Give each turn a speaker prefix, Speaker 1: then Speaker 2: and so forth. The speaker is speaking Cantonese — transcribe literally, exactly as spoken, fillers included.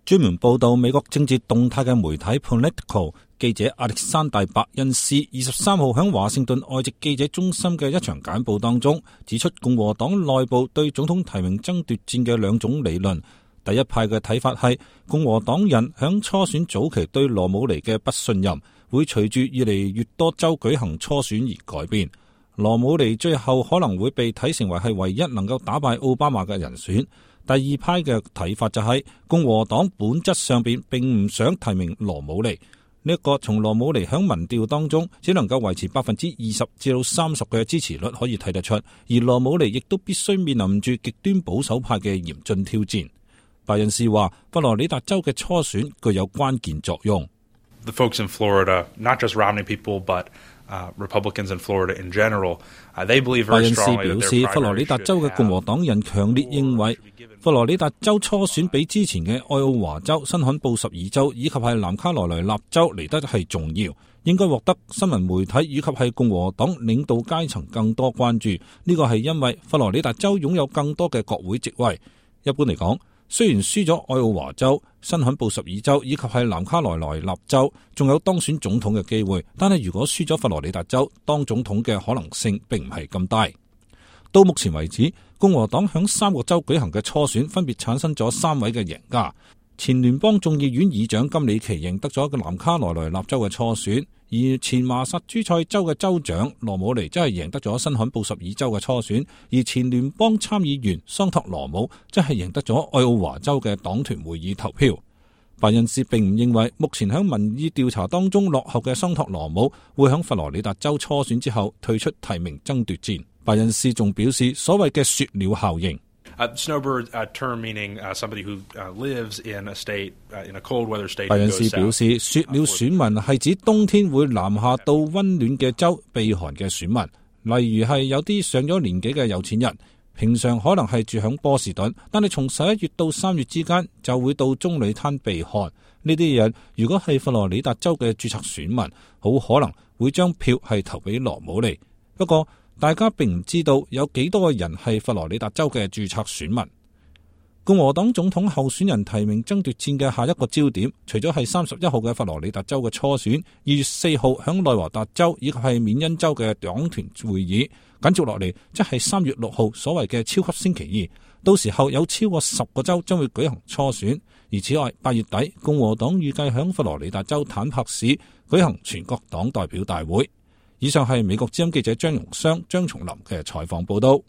Speaker 1: 專門報道美國政治動態嘅媒體 Politico 記者亞歷山大·伯恩斯二十三號喺華盛頓外籍記者中心嘅一場簡報當中，指出共和黨內部對總統提名爭奪戰嘅兩種理論。第一派嘅睇法係共和黨人響初選早期對羅姆尼嘅不信任，會隨住越嚟越多州舉行初選而改變。羅姆尼最後可能會被睇成為係唯一能夠打敗奧巴馬嘅人選。第二派嘅睇法就係共和黨本質上邊並唔想提名羅姆尼，呢一個從羅姆尼響民調當中只能夠維持百分之二十至到三十嘅支持率可以睇得出，而羅姆尼亦都必須面臨住極端保守派嘅嚴峻挑戰。拜恩斯話，佛羅里達州嘅初選具有關鍵作用。
Speaker 2: The folks in Florida, not just Romney people, but Uh, Republicans in Florida in general, uh, they believe very strongly that their primary
Speaker 1: 拜恩斯表示，佛羅里達州嘅共和黨人強烈認為，佛羅里達州初選比之前嘅愛奧華州、新罕布什爾州以及係南卡羅來納州嚟得係重要，應該獲得新聞媒體以及係共和黨領導階層更多關注。呢個係因為佛羅里達州擁有更多嘅國會席位。一般嚟講，雖然輸咗愛奧華州、新罕布什爾州以及係南卡羅來納州，仲有當選總統嘅機會，但係如果輸咗佛羅里達州，當總統嘅可能性並唔係咁大。到目前為止，共和黨響三個州舉行嘅初選分別產生咗三位嘅贏家。前聯邦眾議院議長金里奇贏得咗一個南卡羅來納州嘅初選，而前麻薩諸塞州嘅州長羅姆尼則係贏得咗新罕布什爾州嘅初選，而前聯邦參議員桑托羅姆則係贏得咗愛奧華州嘅黨團會議投票。拜恩斯並唔認為目前喺民意調查當中落後嘅桑托羅姆會喺佛羅里達州初選之後退出提名爭奪戰。拜恩斯仲表示，所謂嘅雪鳥效應。
Speaker 2: Uh, snowbird uh, term meaning uh, somebody who uh, lives in a state uh, in a cold weather state.
Speaker 1: 拜恩斯表示，雪鳥選民係指冬天會南下到溫暖嘅州避寒嘅選民，例如係有啲上咗年紀嘅有錢人，平常可能係住響波士頓，但係從十一月到三月之間就會到棕櫚灘避寒。呢啲人如果係佛羅里達州嘅註冊選民，好可能會將票係投俾羅姆尼。不過大家並唔知道有幾多個人係佛羅里達州嘅註冊選民。共和黨總統候選人提名爭奪戰嘅下一個焦點，除咗係三十一號嘅佛羅里達州嘅初選，二月四號響內華達州以及係緬因州嘅黨團會議，緊接落嚟即係三月六號所謂嘅超級星期二，到時候有超過十個州將會舉行初選。而此外，八月底共和黨預計響佛羅里達州坦帕市舉行全國黨代表大會。以上係美國之音記者張榮湘、張松林嘅採訪報道。